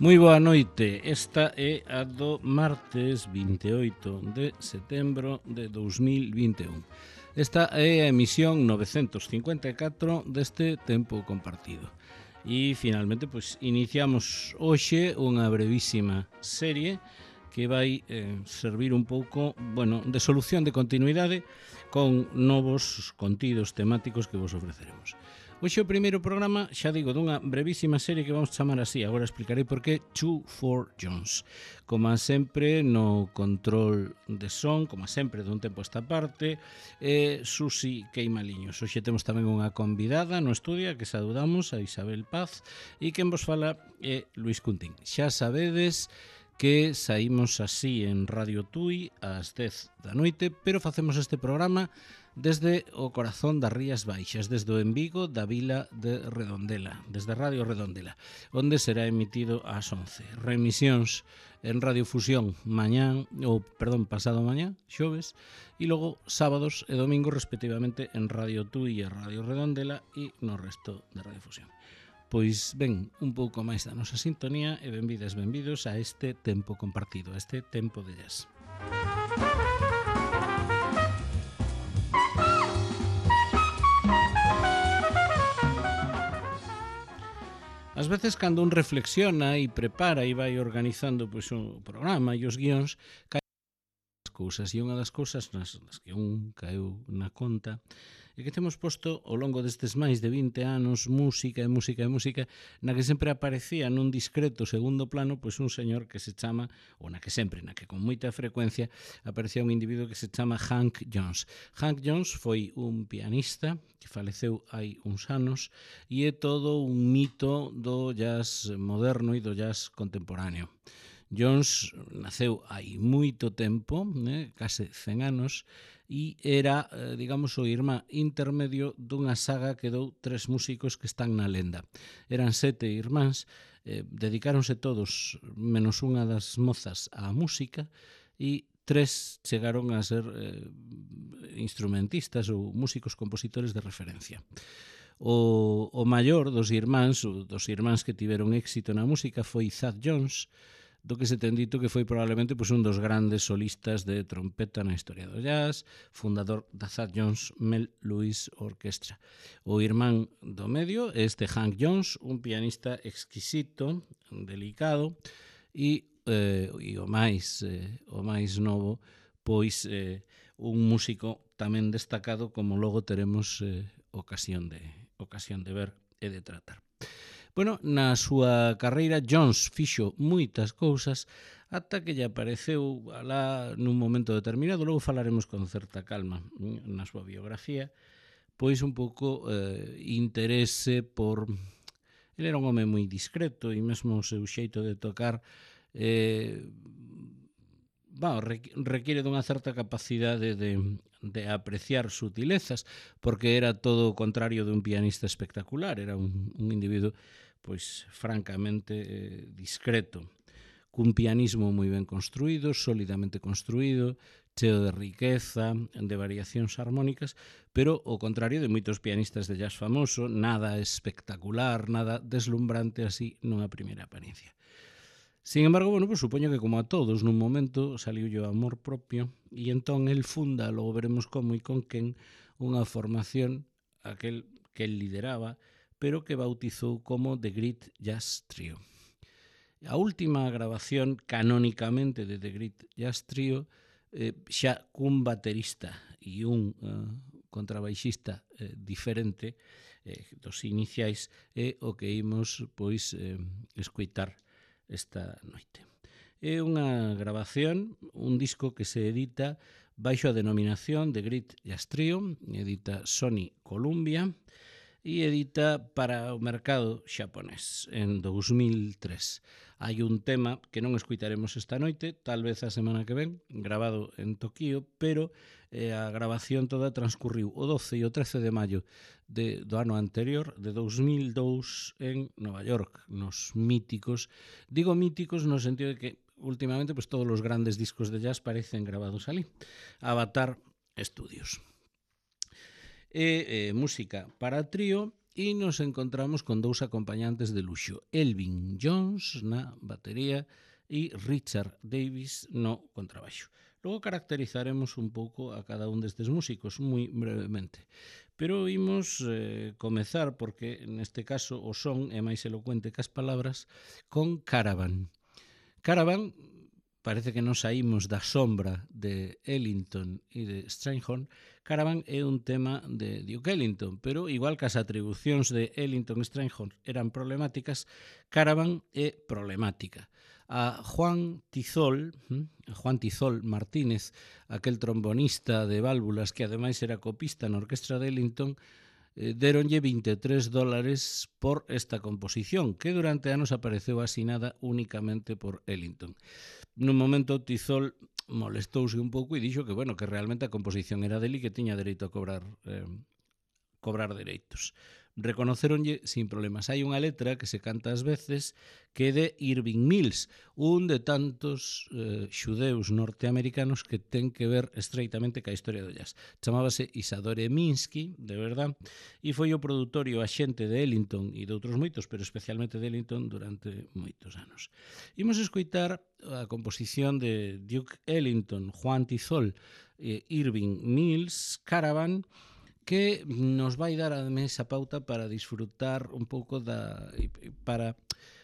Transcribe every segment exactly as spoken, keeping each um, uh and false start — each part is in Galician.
Moi boa noite, esta é a do martes vinte e oito de setembro de dous mil vinte e un. Esta é a emisión novecentos cincuenta e catro deste tempo compartido. E finalmente, pois, iniciamos hoxe unha brevísima serie que vai eh, servir un pouco, bueno, de solución de continuidade con novos contidos temáticos que vos ofreceremos. Hoxe o primeiro programa, xa digo, dunha brevísima serie que vamos chamar así, agora explicarei por qué two four Jones. Como sempre, no control de son, como sempre, dun tempo esta parte, eh, Susi Queimaliños. Hoxe temos tamén unha convidada no estudio, que saudamos, a Isabel Paz, e quen vos fala é Luis Cuntín. Xa sabedes que saímos así en Radio Tui ás dez da noite, pero facemos este programa desde o corazón das Rías Baixas, desde o en Vigo da vila de Redondela, desde Radio Redondela, onde será emitido ás once. Remisións en Radio Fusión mañán, ou perdón, pasado mañá, xoves, e logo sábados e domingos respectivamente en Radio Tui e Radio Redondela e no resto de Radio Fusión. Pois ben, un pouco máis da nosa sintonía e benvidas, benvidos a este tempo compartido, a este tempo de jazz. Ás veces, cando un reflexiona e prepara e vai organizando pois, o programa e os guións, caen as cousas. E unha das cousas nas, nas que un caeu na conta é que temos posto ao longo destes máis de vinte anos música e música e música na que sempre aparecía nun discreto segundo plano pois un señor que se chama, ou na que sempre, na que con moita frecuencia aparecía un individuo que se chama Hank Jones. Hank Jones foi un pianista que faleceu hai uns anos e é todo un mito do jazz moderno e do jazz contemporáneo. Jones naceu hai moito tempo, eh, case cen anos, e era, eh, digamos, o irmán intermedio dunha saga que dou tres músicos que están na lenda. Eran sete irmáns, eh, dedicáronse todos, menos unha das mozas, á música, e tres chegaron a ser eh, instrumentistas ou músicos compositores de referencia. O, o maior dos irmáns, dos irmáns que tiveron éxito na música foi Thad Jones, do que se ten dito que foi probablemente pois, un dos grandes solistas de trompeta na historia do jazz, fundador da Thad Jones Mel Lewis Orchestra. O irmán do medio é este Hank Jones, un pianista exquisito, delicado, e, eh, e o máis eh, o máis novo, pois eh, un músico tamén destacado, como logo teremos eh, ocasión de ocasión de ver e de tratar. Bueno, na súa carreira Jones fixo moitas cousas ata que lle apareceu alá nun momento determinado, logo falaremos con certa calma na súa biografía, pois un pouco eh, interese por... Ele era un home moi discreto e mesmo o seu xeito de tocar eh, bueno, requiere dunha certa capacidade de, de apreciar sutilezas, porque era todo o contrario de un pianista espectacular, era un, un individuo pois francamente eh, discreto, cun pianismo moi ben construído, sólidamente construído, cheo de riqueza, de variacións armónicas, pero ao contrario de moitos pianistas de jazz famoso, nada espectacular, nada deslumbrante así nunha primeira apariencia. Sin embargo, bueno, pues supoño que como a todos nun momento saliu o amor propio e entón el funda, logo veremos como e con quen, unha formación aquel que el lideraba, pero que bautizou como The Great Jazz Trio. A última grabación canónicamente de The Great Jazz Trio, eh, xa cun baterista e un uh, contrabaixista eh, diferente eh, dos iniciais, é o que imos pois eh, escoitar esta noite. É unha grabación, un disco que se edita baixo a denominación de Great Jazz Trio, edita Sony Columbia e edita para o mercado xaponés en dous mil tres. Hai un tema que non escuitaremos esta noite, tal vez a semana que ven, grabado en Tokio, pero eh, a grabación toda transcurriu o doce e o trece de maio de, do ano anterior, de dous mil dous, en Nova York, nos míticos, digo míticos no sentido de que últimamente pues, todos os grandes discos de jazz parecen grabados ali, Avatar Studios. E eh, música para trío e nos encontramos con dous acompañantes de luxo, Elvin Jones na batería e Richard Davis no contrabaixo. Logo caracterizaremos un pouco a cada un destes músicos, moi brevemente. Pero imos eh, comezar, porque neste caso o son é máis elocuente que as palabras, con Caravan. Caravan, parece que nos saímos da sombra de Ellington e de Strayhorn. Caravan é un tema de Duke Ellington, pero igual que as atribucións de Ellington e Strayhorn eran problemáticas, Caravan é problemática. A Juan Tizol, Juan Tizol Martínez, aquel trombonista de válvulas que ademais era copista na orquestra de Ellington, deronlle vinte e tres dólares por esta composición, que durante anos apareceu asinada únicamente por Ellington. Nun momento Tizol molestouse un pouco e dixo que, bueno, que realmente a composición era dele e que tiña dereito a cobrar eh, cobrar dereitos. Reconoceronlle sin problemas. Hai unha letra que se canta ás veces que é de Irving Mills, un de tantos eh, xudeus norteamericanos que ten que ver estreitamente ca historia do jazz. Chamábase Isadore Minsky, de verdad, e foi o produtor e o axente de Ellington e de outros moitos, pero especialmente de Ellington durante moitos anos. Imos escoitar a composición de Duke Ellington, Juan Tizol e Irving Mills, Caravan, que nos vai dar a esa pauta para disfrutar un pouco da para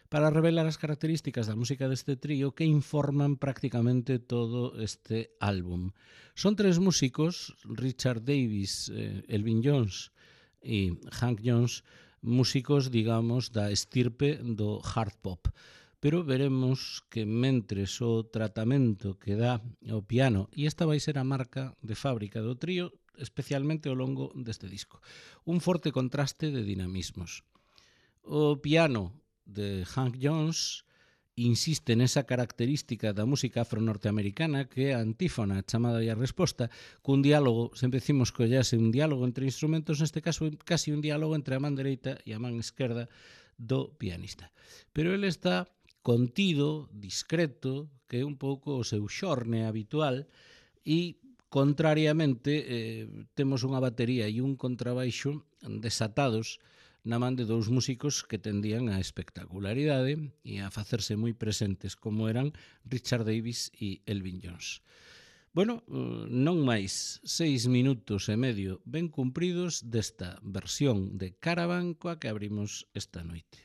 para revelar as características da música deste trío que informan prácticamente todo este álbum. Son tres músicos, Richard Davis, eh, Elvin Jones e Hank Jones, músicos, digamos, da estirpe do hard pop. Pero veremos que mentres o tratamento que dá o piano, e esta vai ser a marca de fábrica do trío, especialmente ao longo deste disco, un forte contraste de dinamismos. O piano de Hank Jones insiste nesa característica da música afro-norteamericana que é a antífona, chamada e a resposta, cun diálogo, sempre decimos que o jazz é un diálogo entre instrumentos, neste caso casi un diálogo entre a man dereita e a man esquerda do pianista. Pero ele está contido, discreto, que é un pouco o seu xorne habitual, e contrariamente, eh, temos unha batería e un contrabaixo desatados na man de dous músicos que tendían a espectacularidade e a facerse moi presentes, como eran Richard Davis e Elvin Jones. Bueno, non máis, seis minutos e medio ben cumpridos desta versión de Caravan coa que abrimos esta noite.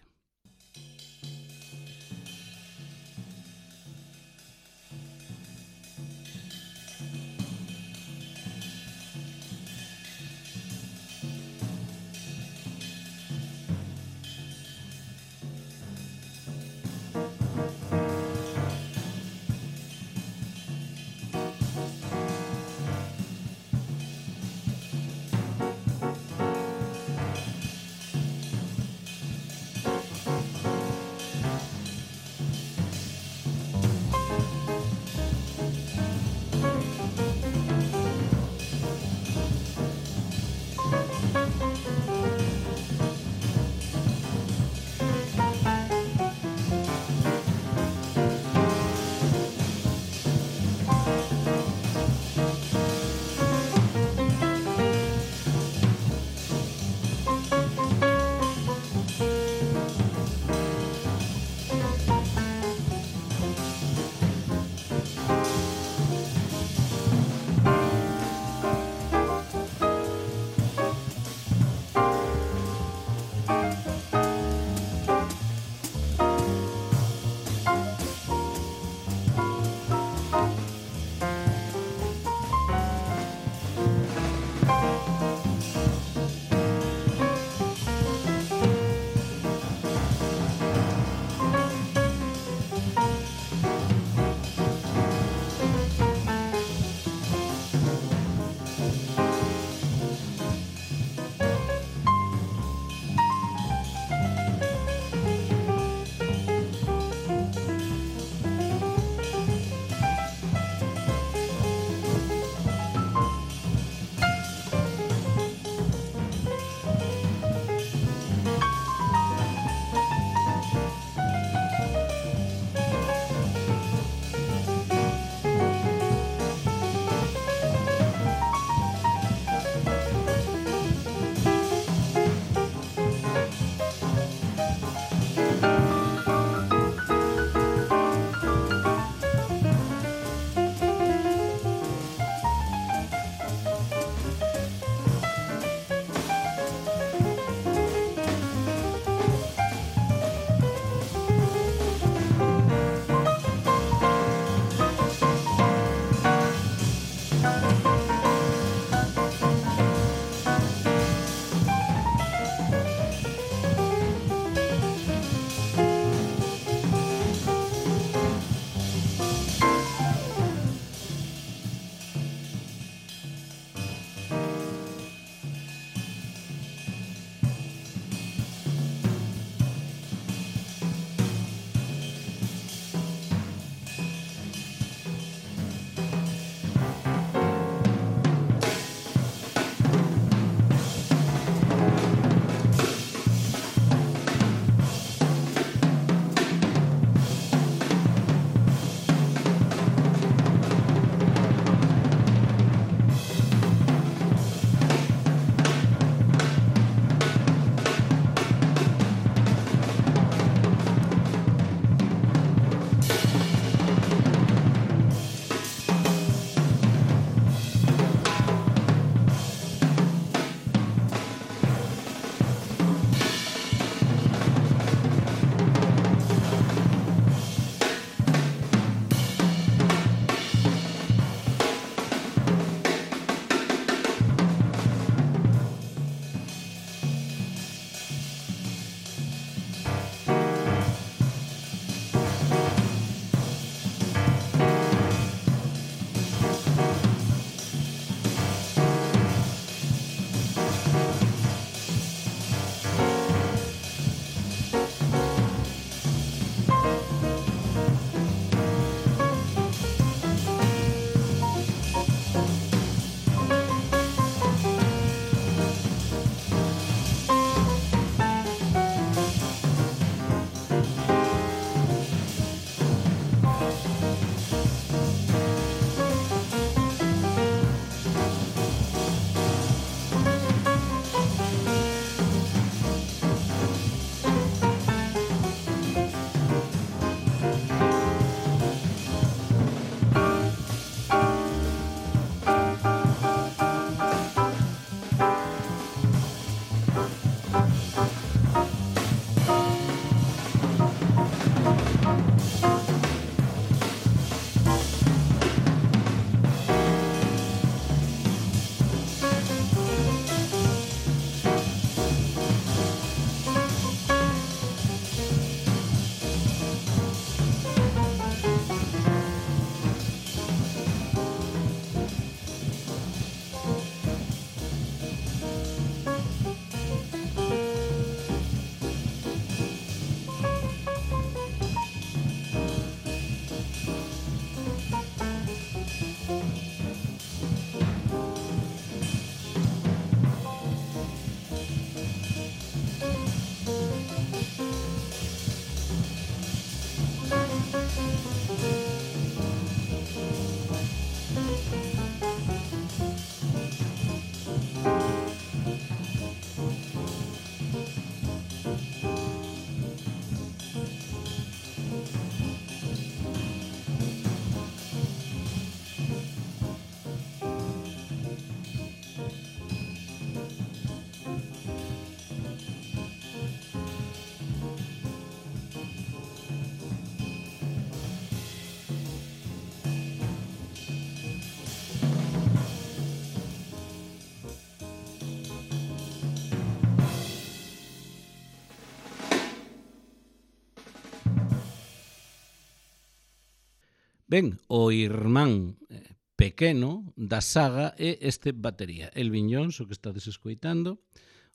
Ben, o irmán eh, pequeno da saga é este batería, Elvin Jones, o que estades escoitando,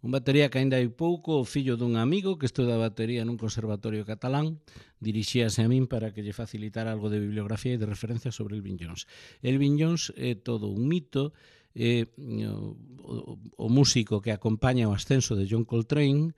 un batería que aínda hai pouco, o fillo dun amigo que estuda batería nun conservatorio catalán, dirixíase a min para que lle facilitara algo de bibliografía e de referencia sobre Elvin Jones. Elvin Jones é todo un mito, é o, o, o músico que acompaña o ascenso de John Coltrane,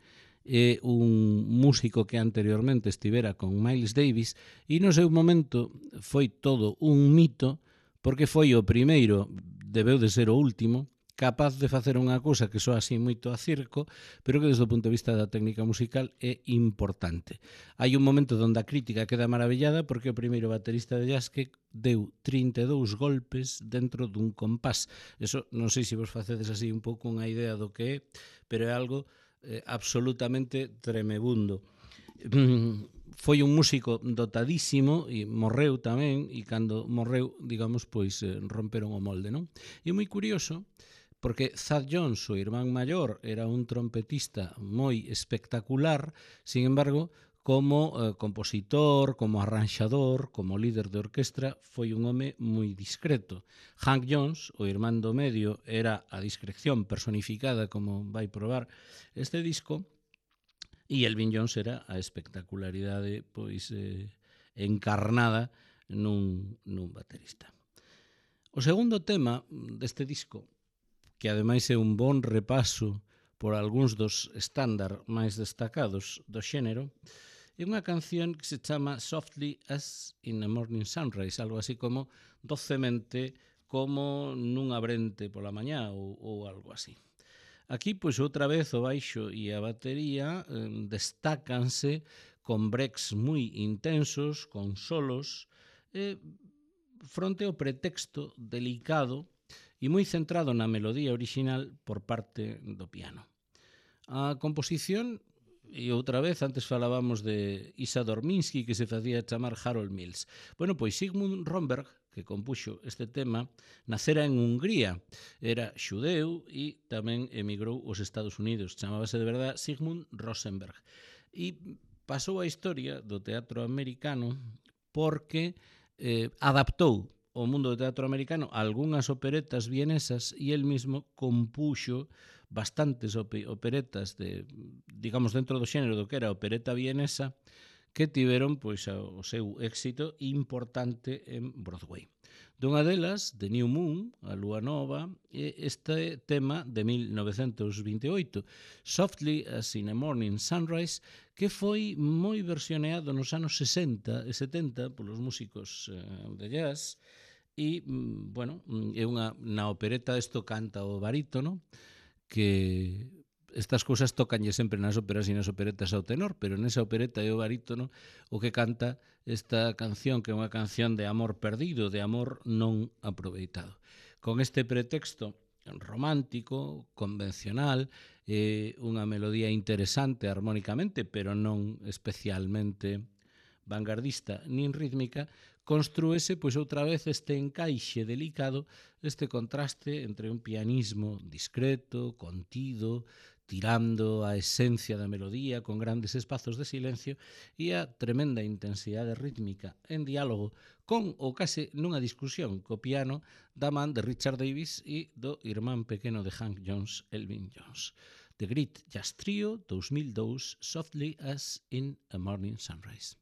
é un músico que anteriormente estivera con Miles Davis e no seu momento foi todo un mito porque foi o primeiro, debeu de ser o último, capaz de facer unha cousa que soa así moito a circo, pero que desde o punto de vista da técnica musical é importante. Hai un momento onde a crítica queda maravillada porque o primeiro baterista de jazz que deu trinta e dous golpes dentro dun compás. Eso non sei se vos facedes así un pouco unha idea do que é, pero é algo eh, absolutamente tremebundo. Foi un músico dotadísimo e morreu tamén, e cando morreu, digamos, pois eh, romperon o molde, non? E moi curioso porque Thad Jones, o irmán maior, era un trompetista moi espectacular, sin embargo, como eh, compositor, como arranxador, como líder de orquestra, foi un home moi discreto. Hank Jones, o irmán do medio, era a discreción personificada, como vai probar este disco, e Elvin Jones era a espectacularidade pois eh, encarnada nun, nun baterista. O segundo tema deste disco, que ademais é un bon repaso por algúns dos estándar máis destacados do xénero, é unha canción que se chama Softly as in a Morning Sunrise, algo así como docemente como nun abrente pola mañá ou, ou algo así. Aquí, pois, outra vez o baixo e a batería eh, destácanse con breaks moi intensos, con solos, eh, fronte ao pretexto delicado e moi centrado na melodía original por parte do piano. A composición, e outra vez, antes falábamos de Isador Minsky, que se facía chamar Harold Mills. Bueno, pois Sigmund Romberg, que compuxo este tema, nacera en Hungría, era xudeu e tamén emigrou aos Estados Unidos. Chamábase de verdade Sigmund Rosenberg. E pasou a historia do teatro americano porque eh, adaptou o mundo do teatro americano algunhas operetas vienesas e el mismo compuxo bastantes operetas de, digamos, dentro do xénero do que era a opereta vienesa que tiveron pois o seu éxito importante en Broadway. Dunha delas, The New Moon, a Lúa Nova, é este tema de mil novecentos vinte e oito, Softly as in a Morning Sunrise, que foi moi versioneado nos anos sesenta e setenta polos músicos de jazz. E, bueno, é unha, na opereta isto canta o barítono, que estas cousas tocanlle sempre nas óperas e nas operetas ao tenor, pero nesa opereta é o barítono o que canta esta canción, que é unha canción de amor perdido, de amor non aproveitado. Con este pretexto romántico, convencional, eh, unha melodía interesante armónicamente, pero non especialmente vanguardista nin rítmica, construese, pois outra vez, este encaixe delicado, este contraste entre un pianismo discreto, contido, tirando a esencia da melodía con grandes espazos de silencio e a tremenda intensidade rítmica en diálogo con ou case nunha discusión co piano da man de Richard Davis e do irmán pequeno de Hank Jones, Elvin Jones. The Great Jazz Trio, dos mil dous, Softly as in a Morning Sunrise.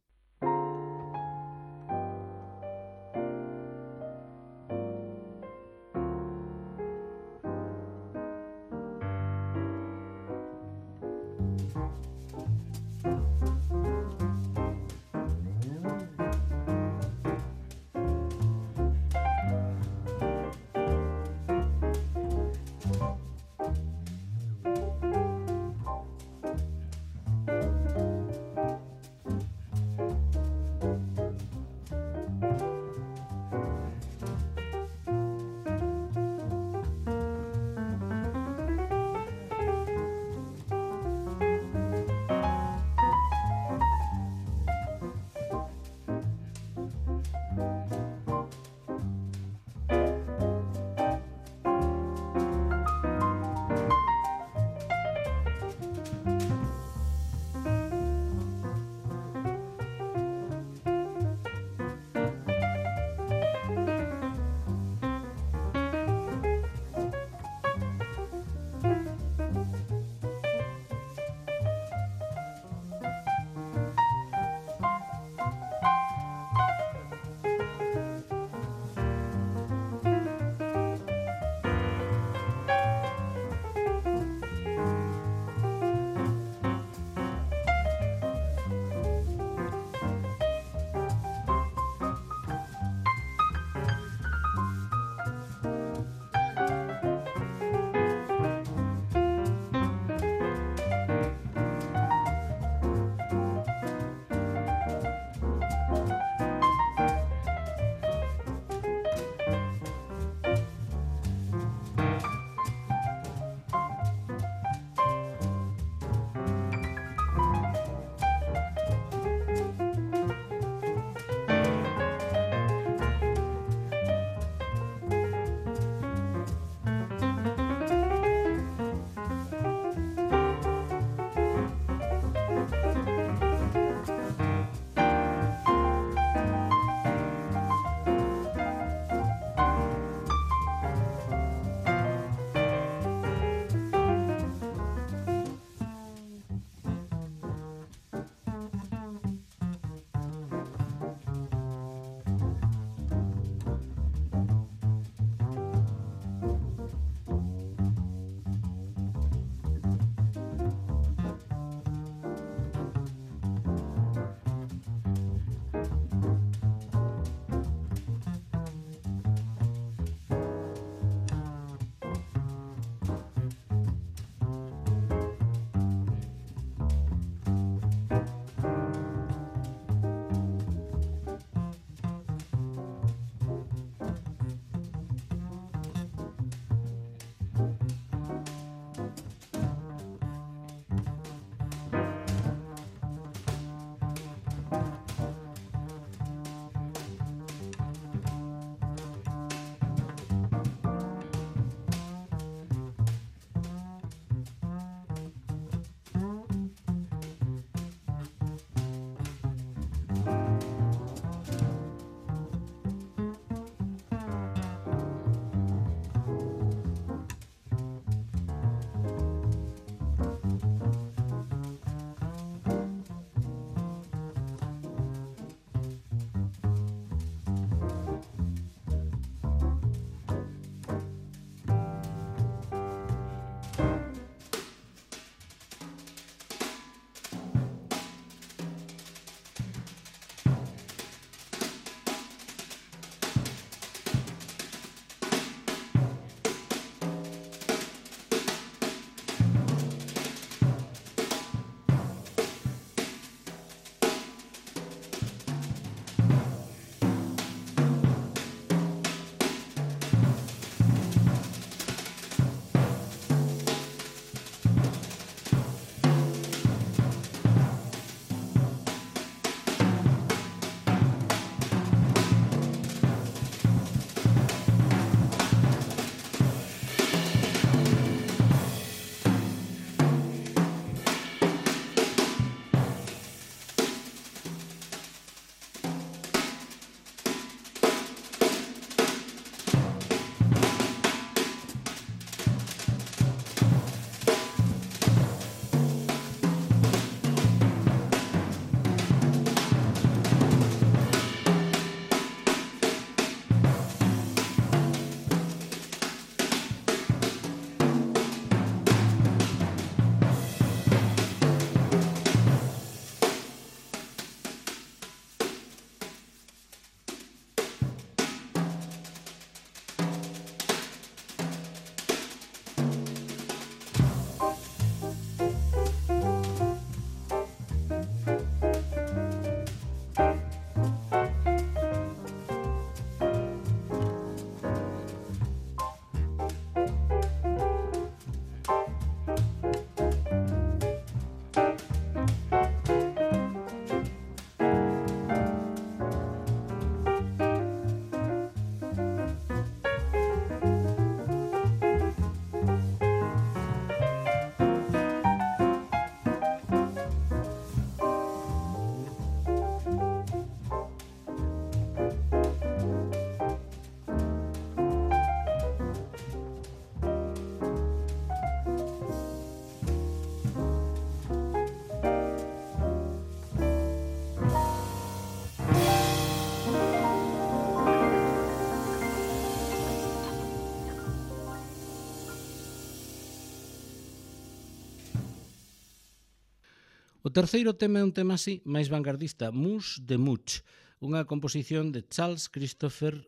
O terceiro tema é un tema así, máis vanguardista, Mus de Much, unha composición de Charles Christopher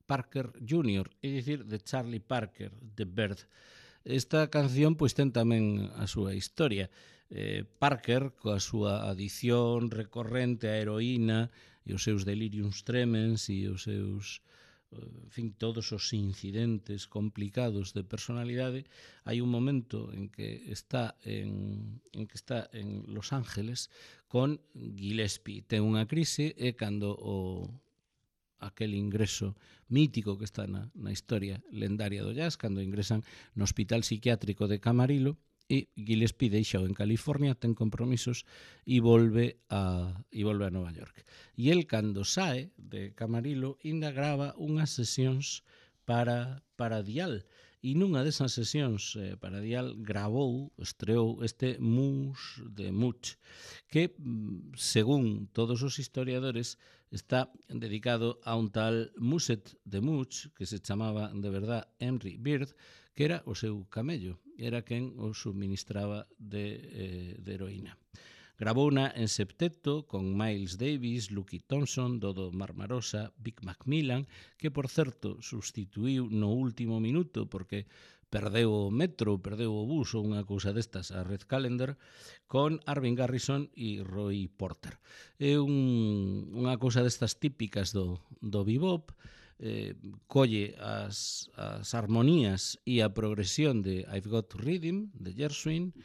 Parker júnior, é dicir, de Charlie Parker, de Bird. Esta canción pois ten tamén a súa historia. Eh, Parker, coa súa adición recorrente á heroína e os seus deliriums tremens e os seus, en fin, todos os incidentes complicados de personalidade, hai un momento en que está en, en que está en Los Ángeles con Gillespie. Ten unha crise e cando o aquel ingreso mítico que está na, na historia lendaria do jazz, cando ingresan no hospital psiquiátrico de Camarillo, e Gillespie deixa en California, ten compromisos e volve a e volve a Nova York. E el, cando sae de Camarillo, ainda grava unhas sesións para, para Dial. E nunha desas sesións eh, para Dial gravou, estreou este Mus de Much, que, según todos os historiadores, está dedicado a un tal Muset de Much, que se chamaba de verdad Henry Bird, que era o seu camello, era quen o suministraba de, eh, de heroína. Gravouna en septeto con Miles Davis, Lucky Thompson, Dodo Marmarosa, Vic Macmillan, que, por certo, sustituiu no último minuto porque perdeu o metro, perdeu o bus ou unha cousa destas a Red Callender, con Arvin Garrison e Roy Porter. É un, unha cousa destas típicas do, do bebop, eh, colle as, as armonías e a progresión de I've Got Rhythm, de Gershwin,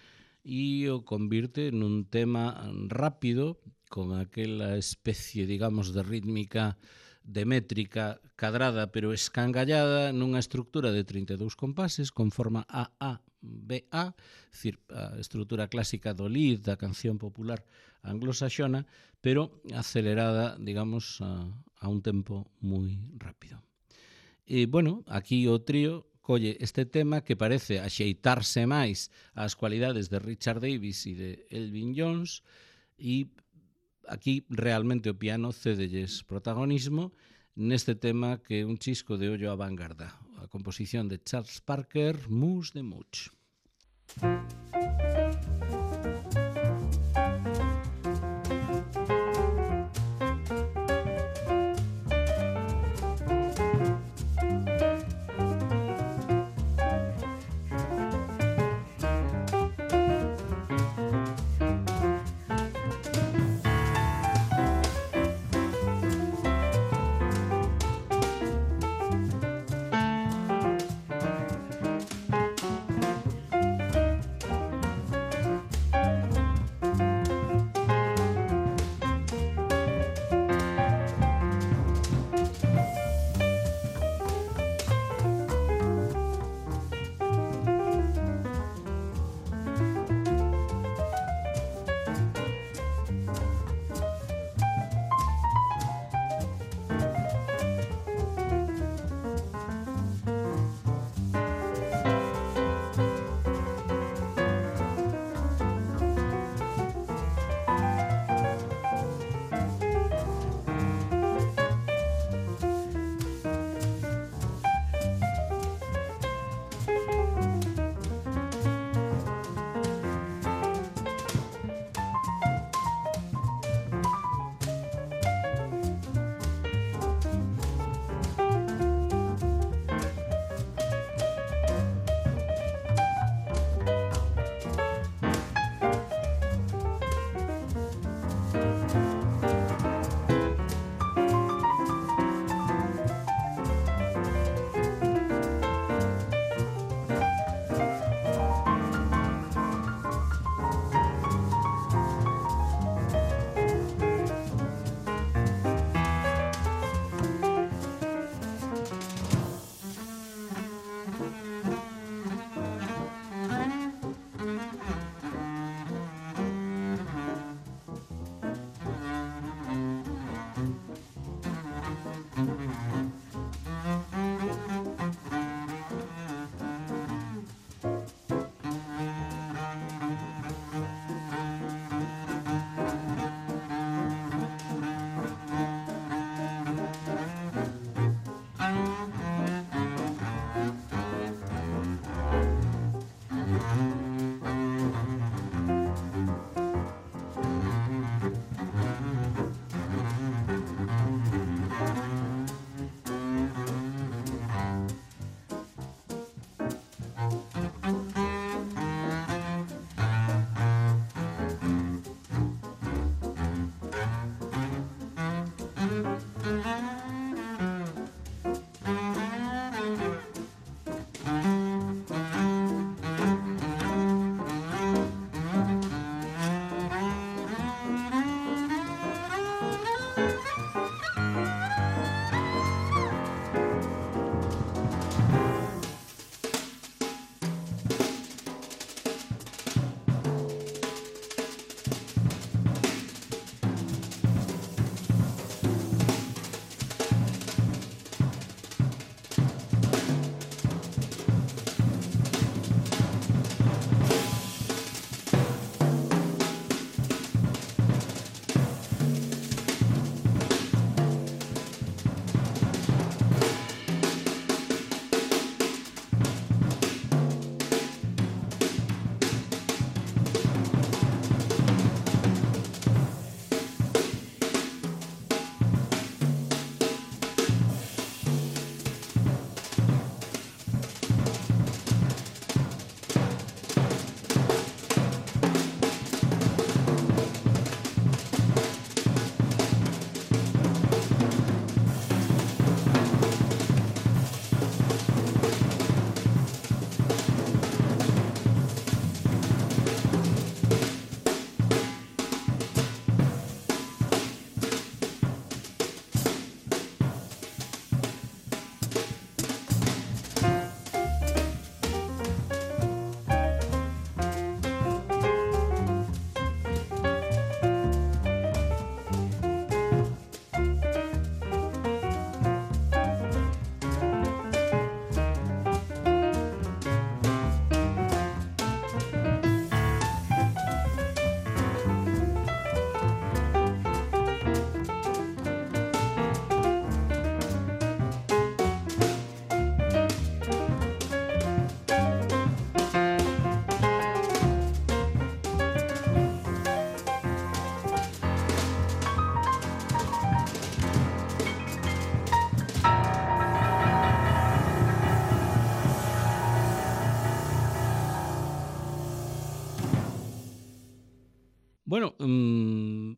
e o convirte nun tema rápido, con aquela especie, digamos, de rítmica, de métrica cadrada pero escangallada, nunha estructura de trinta e dous compases con forma A A B A, decir, a estructura clásica do lead da canción popular anglosaxona, pero acelerada, digamos, a, a un tempo moi rápido. E, bueno, aquí o trío colle este tema que parece axeitarse máis ás cualidades de Richard Davis e de Elvin Jones, e aquí realmente o piano cédelles protagonismo neste tema que é un chisco de ollo a vanguarda, a composición de Charles Parker, Mus de Much.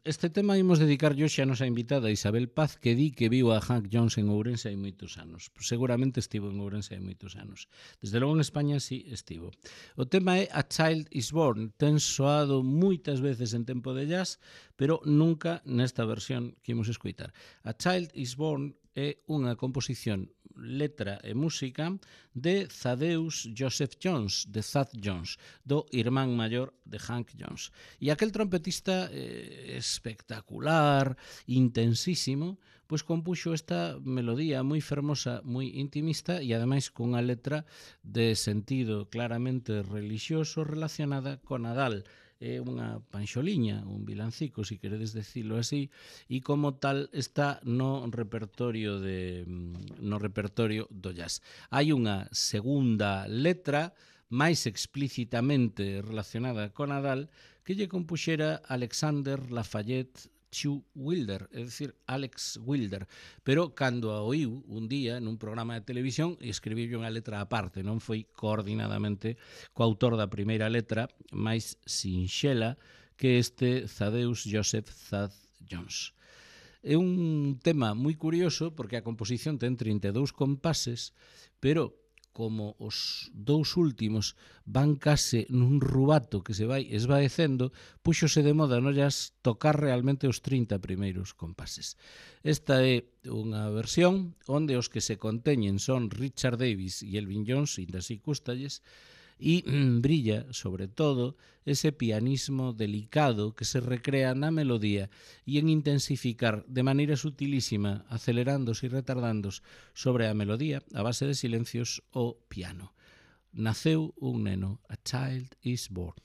este tema imos dedicar hoxe a nosa invitada Isabel Paz, que di que viu a Hank Jones en Ourense hai moitos anos. Seguramente estivo en Ourense hai moitos anos. Desde logo en España sí estivo. O tema é A Child is Born. Ten soado moitas veces en tempo de jazz, pero nunca nesta versión que imos escoitar. A Child is Born é unha composición, letra e música de Thaddeus Joseph Jones, de Thad Jones, do irmán maior de Hank Jones. E aquel trompetista eh, espectacular, intensísimo, pois compuxo esta melodía moi fermosa, moi intimista e ademais cunha letra de sentido claramente relixioso relacionada con Nadal. É unha panxoliña, un vilancico, se si queredes decirlo así, e como tal está no repertorio de no repertorio do jazz. Hai unha segunda letra máis explícitamente relacionada con Nadal que lle compuxera Alexander Lafayette Chu Wilder, é dicir, Alex Wilder, pero cando a oíu un día nun programa de televisión escribiu unha letra aparte, non foi coordinadamente co autor da primeira letra máis sinxela que este Thaddeus Joseph Thad Jones. É un tema moi curioso porque a composición ten trinta e dous compases, pero como os dous últimos van case nun rubato que se vai esvaecendo, puxose de moda no jazz tocar realmente os trinta primeiros compases. Esta é unha versión onde os que se conteñen son Richard Davis e Elvin Jones, ainda así cústalles, e mm, brilla, sobre todo, ese pianismo delicado que se recrea na melodía e en intensificar de maneira sutilísima, acelerándose e retardándose sobre a melodía, a base de silencios, o piano. Naceu un neno, a child is born.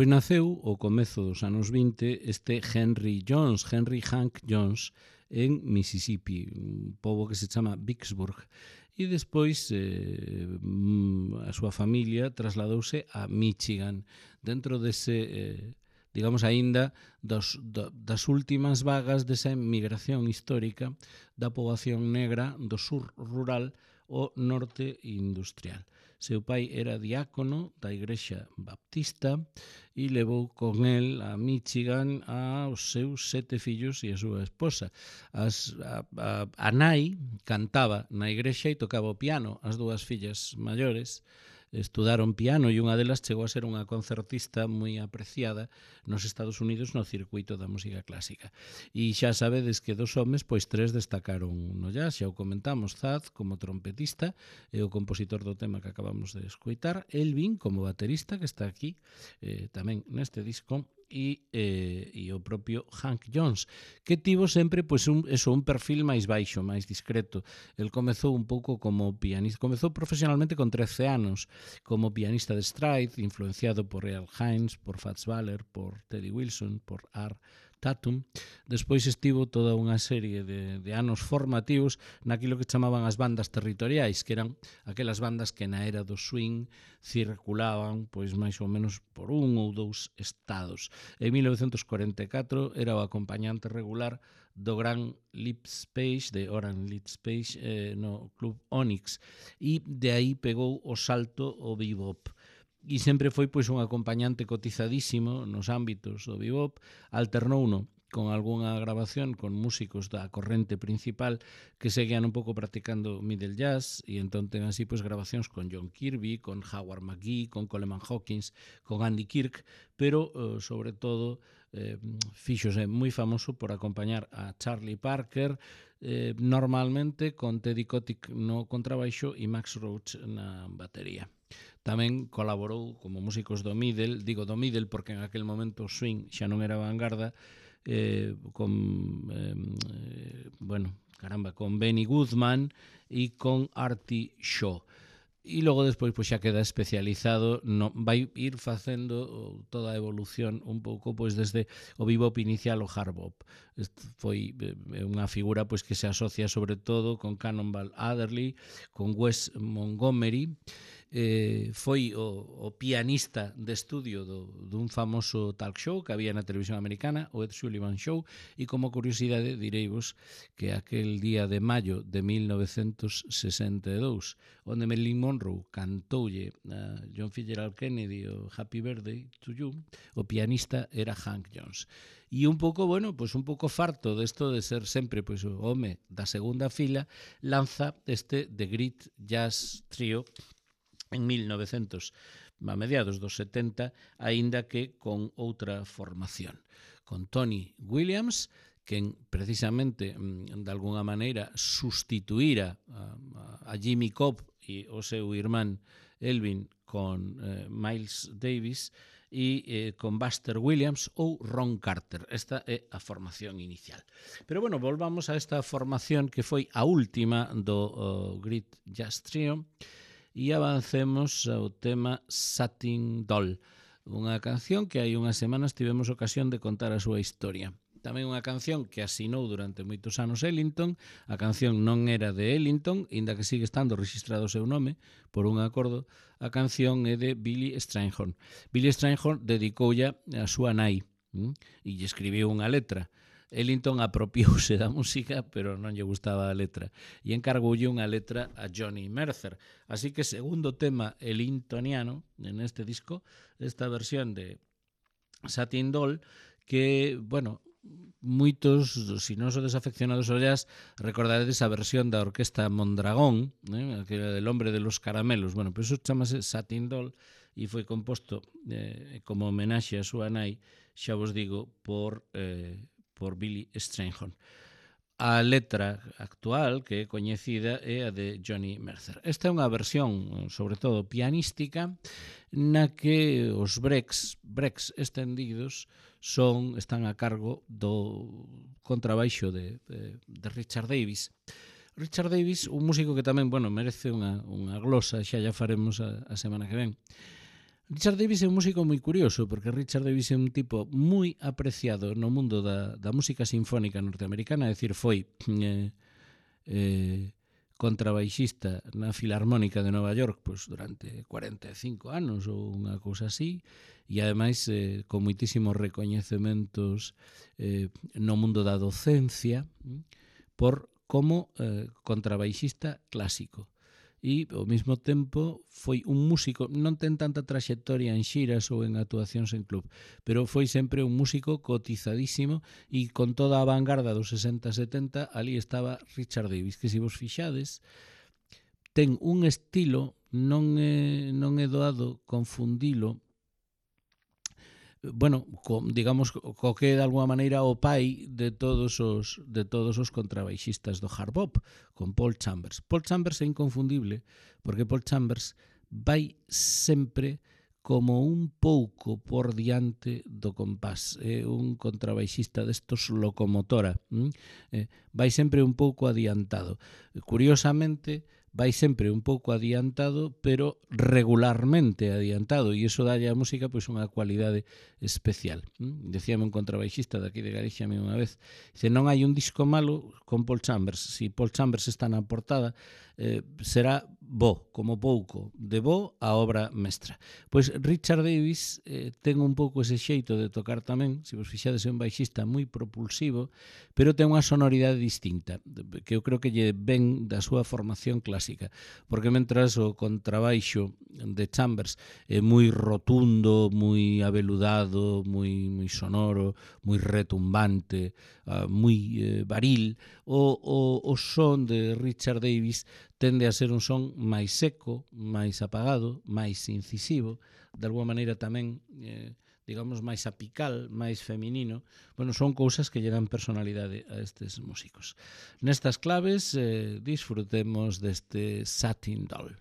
Pois naceu ao comezo dos anos vinte este Henry Jones, Henry Hank Jones, en Mississippi, un pobo que se chama Vicksburg. E despois eh, a súa familia trasladouse a Michigan, dentro dese, eh, digamos, aínda dos, das últimas vagas desa migración histórica da poboación negra do sur rural ao norte industrial. Seu pai era diácono da Igrexa Baptista e levou con el a Michigan aos seus sete fillos e a súa esposa. As, a, a, a nai cantaba na igrexa e tocaba o piano. As dúas fillas maiores estudaron piano e unha delas chegou a ser unha concertista moi apreciada nos Estados Unidos no circuito da música clásica. E xa sabedes que dos homes, pois tres destacaron no jazz, xa o comentamos, Thad como trompetista e o compositor do tema que acabamos de escoitar, Elvin como baterista, que está aquí eh, tamén neste disco, e, eh, e o propio Hank Jones, que tivo sempre pois, un, eso, un perfil máis baixo, máis discreto. El comezou un pouco como pianista, comezou profesionalmente con trece anos, como pianista de stride, influenciado por Earl Hines, por Fats Waller, por Teddy Wilson, por Art Tatum. Despois estivo toda unha serie de, de anos formativos naquilo que chamaban as bandas territoriais, que eran aquelas bandas que na era do swing circulaban pois máis ou menos por un ou dous estados. En mil novecentos cuarenta e catro era o acompañante regular do gran Lips Page, de Oran Lips Page, eh, no Club Onyx, e de aí pegou o salto ao bebop. E sempre foi pois un acompañante cotizadísimo nos ámbitos do bebop, alternouno con algunha grabación con músicos da corrente principal que seguían un pouco practicando middle jazz, e entón ten así pois grabacións con John Kirby, con Howard McGhee, con Coleman Hawkins, con Andy Kirk, pero eh, sobre todo eh, fíxose moi famoso por acompañar a Charlie Parker, eh, normalmente con Teddy Kotick no contrabaixo e Max Roach na batería. Tamén colaborou como músicos do middle, digo do middle porque en aquel momento o swing xa non era vanguarda, eh, con, eh, bueno, caramba, con Benny Goodman e con Artie Shaw. E logo despois pois xa queda especializado, no, vai ir facendo toda a evolución un pouco pois desde o bebop inicial ao hard bop. Este foi unha figura pois que se asocia sobre todo con Cannonball Adderley, con Wes Montgomery. Eh, foi o, o pianista de estudio do, dun famoso talk show que había na televisión americana, o Ed Sullivan Show, e como curiosidade direivos que aquel día de maio de mil novecentos sesenta e dous, onde Marilyn Monroe cantoulle a John Fitzgerald Kennedy o Happy Birthday to You, o pianista era Hank Jones. E un pouco, bueno, pois un pouco farto desto de ser sempre pois o home da segunda fila, lanza este The Great Jazz Trio en mil novecentos, a mediados dos setenta, aínda que con outra formación, con Tony Williams, que precisamente, de alguna maneira, sustituíra a, a Jimmy Cobb e o seu irmán Elvin con eh, Miles Davis, e eh, con Buster Williams ou Ron Carter. Esta é a formación inicial. Pero bueno, volvamos a esta formación que foi a última do uh, Great Jazz Trio, e avancemos ao tema Satin Doll, unha canción que hai unhas semanas tivemos ocasión de contar a súa historia. Tamén unha canción que asinou durante moitos anos Ellington. A canción non era de Ellington, inda que sigue estando registrado o seu nome por un acordo. A canción é de Billy Strayhorn. Billy Strayhorn dedicoulla a súa nai hm? e lle escribiu unha letra. Ellington apropiouse da música, pero non lle gustaba a letra, e encargoulle unha letra a Johnny Mercer. Así que segundo tema ellingtoniano en este disco, esta versión de Satin Doll, que, bueno, moitos, se non sodes afeccionados ao jazz, recordaredes a versión da orquesta Mondragón, eh, aquela del hombre de los caramelos. Bueno, pois pues iso chamase Satin Doll e foi composto eh, como homenaxe a súa nai, xa vos digo, por... Eh, por Billy Strayhorn. A letra actual, que é coñecida, é a de Johnny Mercer. Esta é unha versión, sobre todo pianística, na que os breaks, breaks estendidos son, están a cargo do contrabaixo de, de, de Richard Davis. Richard Davis, un músico que tamén, bueno, merece unha, unha glosa, xa ya faremos a, a semana que ven. Richard Davis é un músico moi curioso, porque Richard Davis é un tipo moi apreciado no mundo da, da música sinfónica norteamericana, é dicir, foi eh, eh, contrabaixista na Filarmónica de Nova York pois, durante cuarenta e cinco anos ou unha cousa así, e ademais eh, con moitísimos recoñecementos eh, no mundo da docencia por como eh, contrabaixista clásico. E ao mesmo tempo foi un músico, non ten tanta traxectoria en xiras ou en actuacións en club, pero foi sempre un músico cotizadísimo e con toda a vanguarda dos sesenta e setenta ali estaba Richard Davis, que se vos fixades ten un estilo, non é, non é doado confundilo, bueno, co, digamos, co que de alguma maneira o pai de todos os de todos os contrabaixistas do hard bop, con Paul Chambers. Paul Chambers é inconfundible, porque Paul Chambers vai sempre como un pouco por diante do compás. É un contrabaixista destos locomotora. ¿Mm? Eh, vai sempre un pouco adiantado. Curiosamente, vai sempre un pouco adiantado, pero regularmente adiantado, e iso dalle á música pois unha cualidade especial. ¿Mm? Decíame un contrabaixista daqui de Galicia unha vez, dice, non hai un disco malo con Paul Chambers, si Paul Chambers está na portada, eh, será bo, como pouco, de bo a obra mestra. Pois Richard Davis eh, ten un pouco ese xeito de tocar tamén, se vos fixades é un baixista moi propulsivo, pero ten unha sonoridade distinta, que eu creo que lle ven da súa formación clásica, porque mentras o contrabaixo de Chambers é moi rotundo, moi aveludado, moi, moi sonoro, moi retumbante, uh, moi eh, varil, o, o, o son de Richard Davis tende a ser un son máis seco, máis apagado, máis incisivo, de alguma maneira tamén eh, digamos, máis apical, máis feminino. Bueno, son cousas que lle dan personalidade a estes músicos. Nestas claves, eh, disfrutemos deste Satin Doll.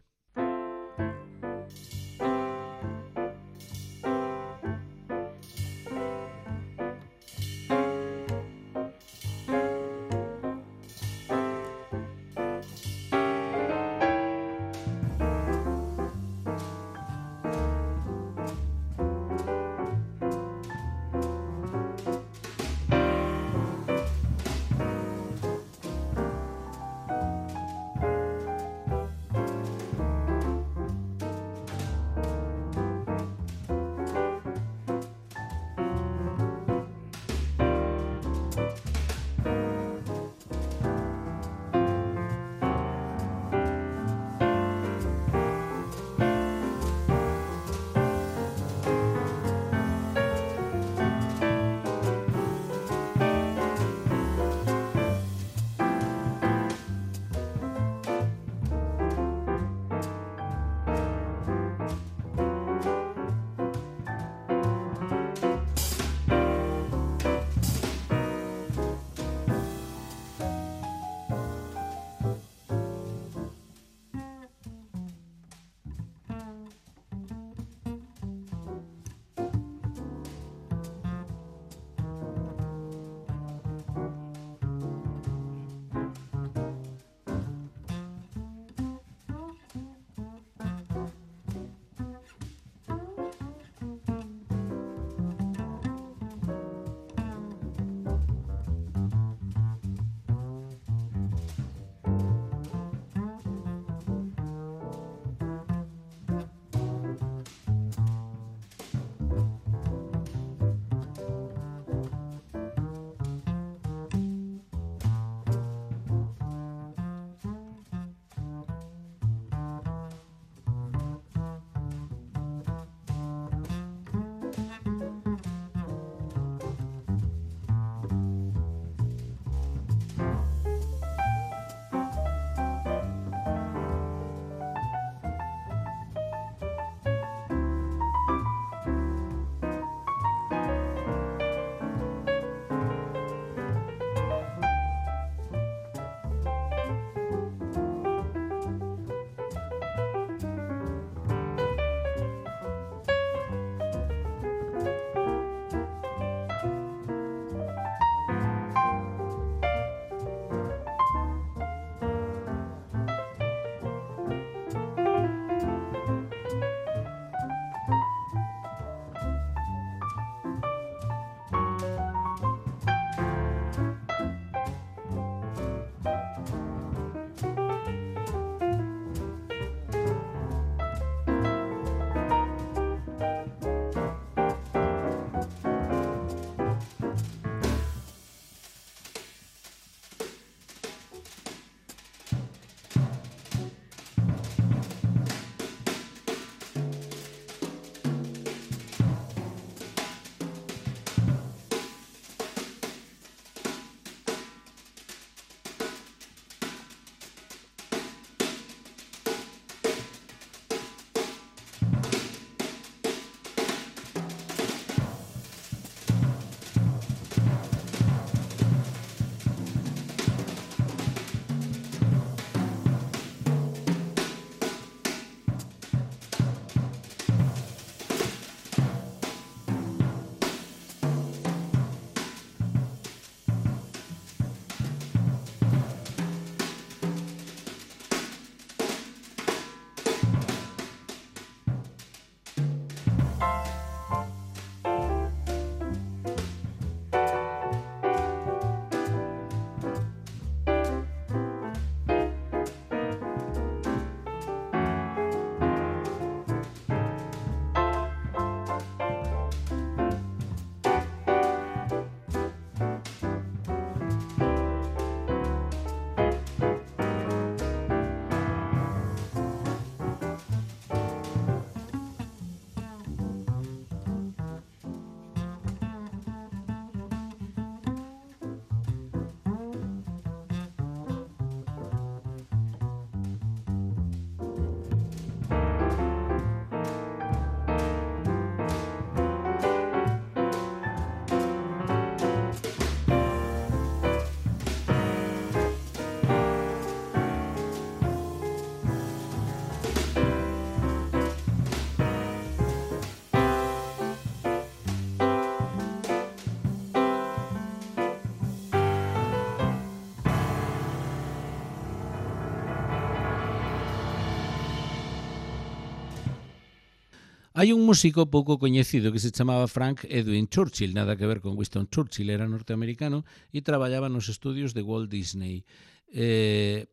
Hai un músico pouco coñecido que se chamaba Frank Edwin Churchill, nada que ver con Winston Churchill, era norteamericano e traballaba nos estudios de Walt Disney. Eh,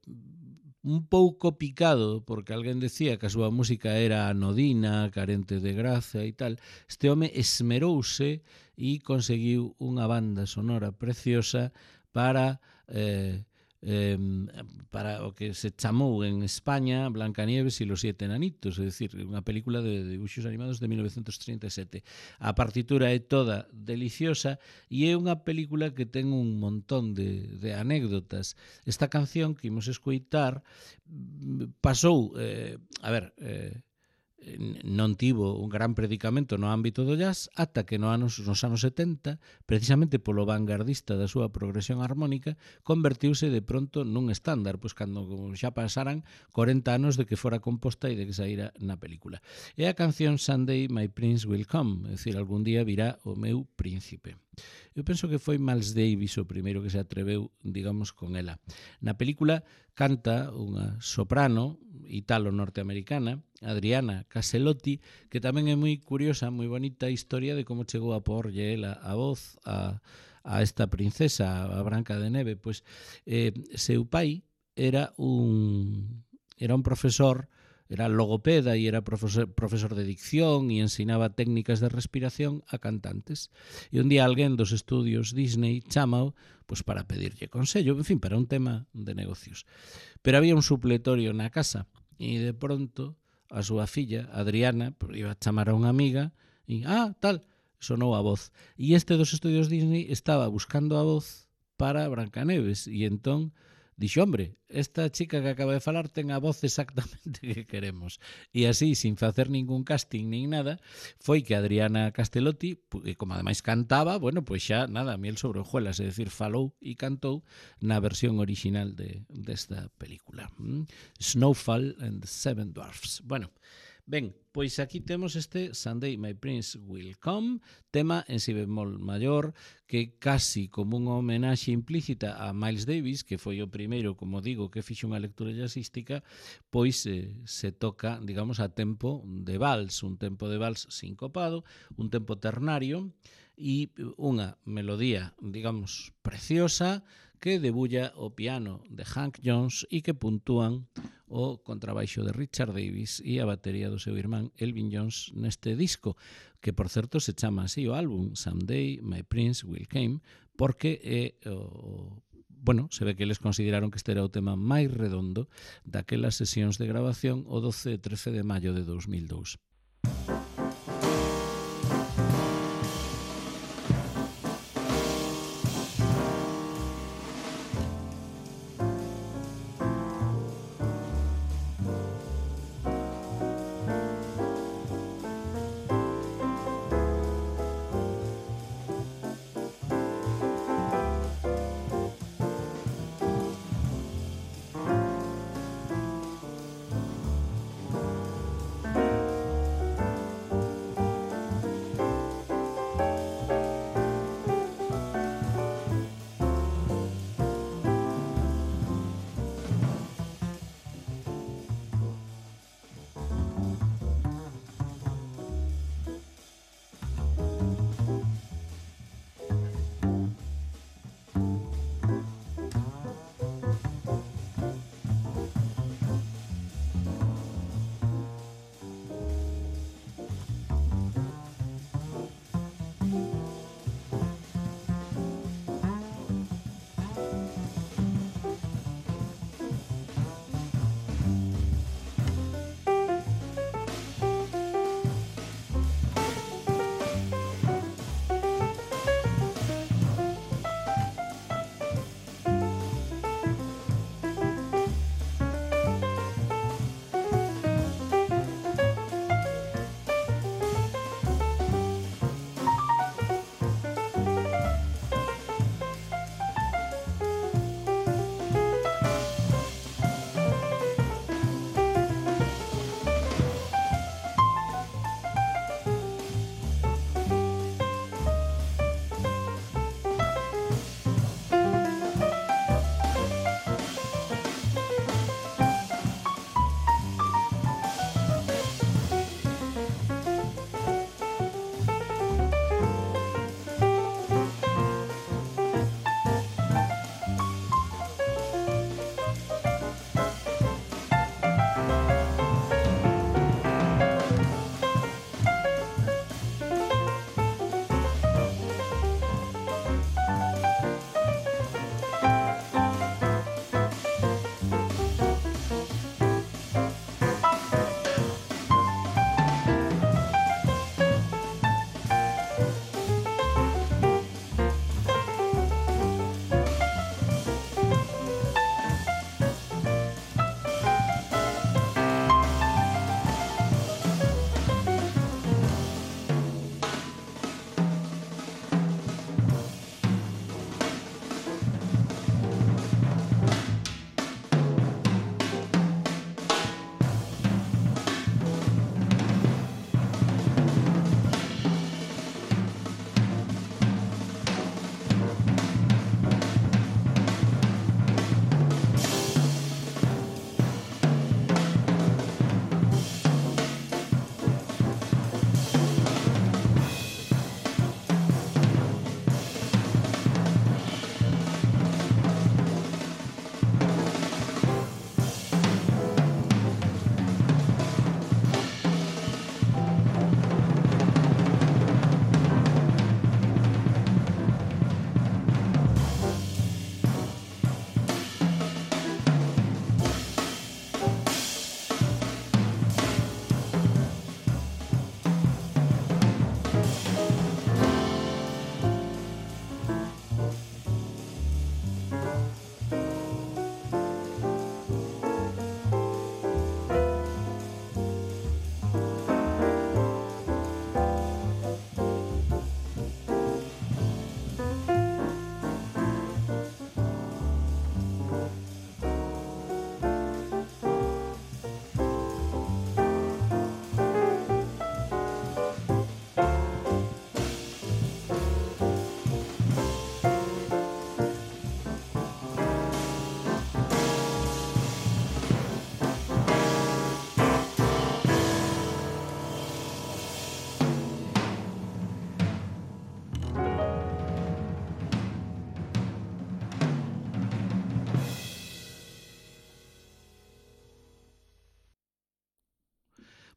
un pouco picado, porque alguén decía que a súa música era anodina, carente de graza e tal, este home esmerouse e conseguiu unha banda sonora preciosa para... Eh, Eh, para o que se chamou en España Blancanieves e los siete enanitos, é dicir, unha película de dibuixos animados de mil novecientos trinta e sete. A partitura é toda deliciosa e é unha película que ten un montón de, de anécdotas. Esta canción que imos escoitar pasou, eh, a ver, eh, non tivo un gran predicamento no ámbito do jazz ata que no anos, nos anos setenta, precisamente polo vanguardista da súa progresión armónica, convertiuse de pronto nun estándar, pois cando xa pasaran corenta anos de que fora composta e de que saíra na película. É a canción Someday My Prince Will Come, é dicir, algún día virá o meu príncipe. Eu penso que foi Miles Davis o primeiro que se atreveu, digamos, con ela. Na película canta unha soprano italo-norteamericana, Adriana Caselotti, que tamén é moi curiosa, moi bonita a historia de como chegou a porlle ela a voz a, a esta princesa, a Branca de Neve. Pois eh, seu pai era un, era un profesor, era logopeda e era profesor, profesor de dicción e ensinaba técnicas de respiración a cantantes. E un día alguén dos estudios Disney chamao pois para pedirlle consello, en fin, para un tema de negocios. Pero había un supletorio na casa e de pronto a súa filla, Adriana, iba a chamar a unha amiga e, ah, tal, sonou a voz. E este dos estudios Disney estaba buscando a voz para Brancaneves e entón dixo, hombre, esta chica que acaba de falar ten a voz exactamente que queremos. E así, sin facer ningún casting nin nada, foi que Adriana Castelotti, como ademais cantaba, bueno, pois xa, nada, miel sobre hojuelas, é dicir, falou e cantou na versión original de desta película. Mm? Snowfall and the Seven Dwarfs. Bueno, ben, pois aquí temos este Someday My Prince Will Come, tema en si bemol maior, que casi como unha homenaxe implícita a Miles Davis, que foi o primeiro, como digo, que fixe unha lectura jazzística, pois eh, se toca, digamos, a tempo de vals, un tempo de vals sincopado, un tempo ternario, e unha melodía, digamos, preciosa, que debulla o piano de Hank Jones e que puntúan o contrabaixo de Richard Davis e a batería do seu irmán Elvin Jones neste disco, que por certo se chama así o álbum, Someday My Prince Will Come, porque é o bueno, se ve que eles consideraron que este era o tema máis redondo daquelas sesións de grabación o doce e trece de maio de dos mil dous.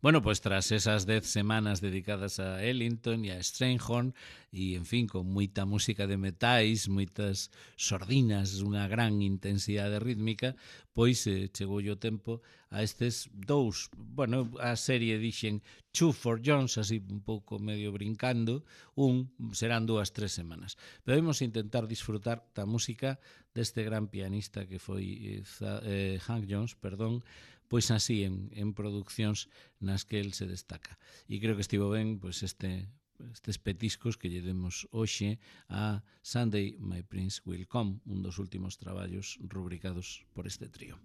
Bueno, pues tras esas dez semanas dedicadas a Ellington e a Strayhorn e, en fin, con moita música de metais, moitas sordinas, unha gran intensidade rítmica, pois eh, chegou o tempo a estes dous, bueno, a serie dixen Two for Jones, así un pouco medio brincando, un serán dúas, tres semanas. Pero vamos intentar disfrutar da música deste gran pianista que foi eh, eh, Hank Jones, perdón, pois así en, en produccións nas que el se destaca. E creo que estivo ben pois este estes petiscos que lle demos hoxe a Sunday My Prince Will Come, un dos últimos traballos rubricados por este trío.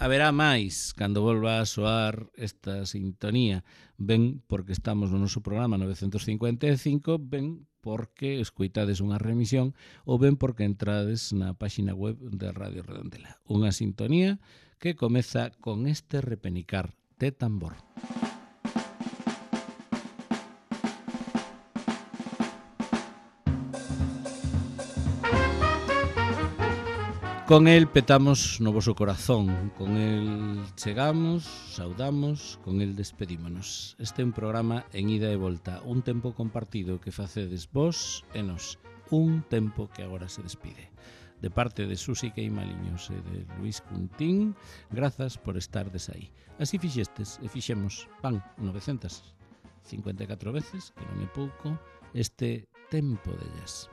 Haberá máis cando volva a soar esta sintonía, ben porque estamos no noso programa novecentos cincuenta e cinco, ben porque escoitades unha remisión ou ben porque entrades na páxina web de Radio Redondela. Unha sintonía que comeza con este repenicar de tambor. Con el petamos no voso corazón, con el chegamos, saudamos, con el despedímonos. Este é un programa en ida e volta, un tempo compartido que facedes vos e nos, un tempo que agora se despide. De parte de Susi Queimaliños e de Luis Cuntín, grazas por estardes aí. Así fixestes e fixemos, van, novecentas cincuenta e catro veces, que non é pouco, este tempo de jazz.